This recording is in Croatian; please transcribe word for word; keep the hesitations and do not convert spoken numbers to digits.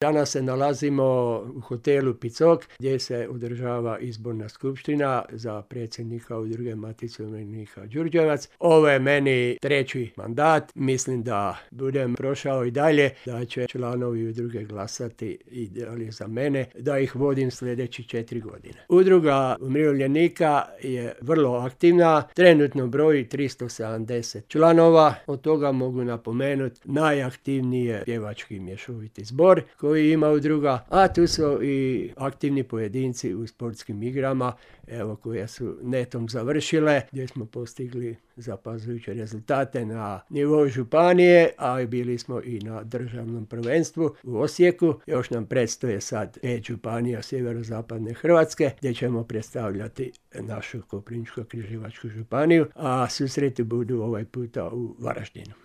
Danas se nalazimo u hotelu Picok gdje se održava izborna skupština za predsjednika udruge Matice umirovljenika Đurđevac. Ovo je meni treći mandat. Mislim da budem prošao i dalje, da će članovi udruge glasati i dalje za mene, da ih vodim sljedeći četiri godine. Udruga umirovljenika je vrlo aktivna. Trenutno broji tristo sedamdeset članova. Od toga mogu napomenuti najaktivniji je pjevački mješoviti zbor koji ima udruga, a tu su i aktivni pojedinci u sportskim igrama, evo, koje su netom završile, gdje smo postigli zapazujuće rezultate na nivou županije, a bili smo i na državnom prvenstvu u Osijeku. Još nam predstoje sad pet županija sjeverozapadne Hrvatske, gdje ćemo predstavljati našu Koprivničko-križevačku županiju, a susreti budu ovaj puta u Varaždinu.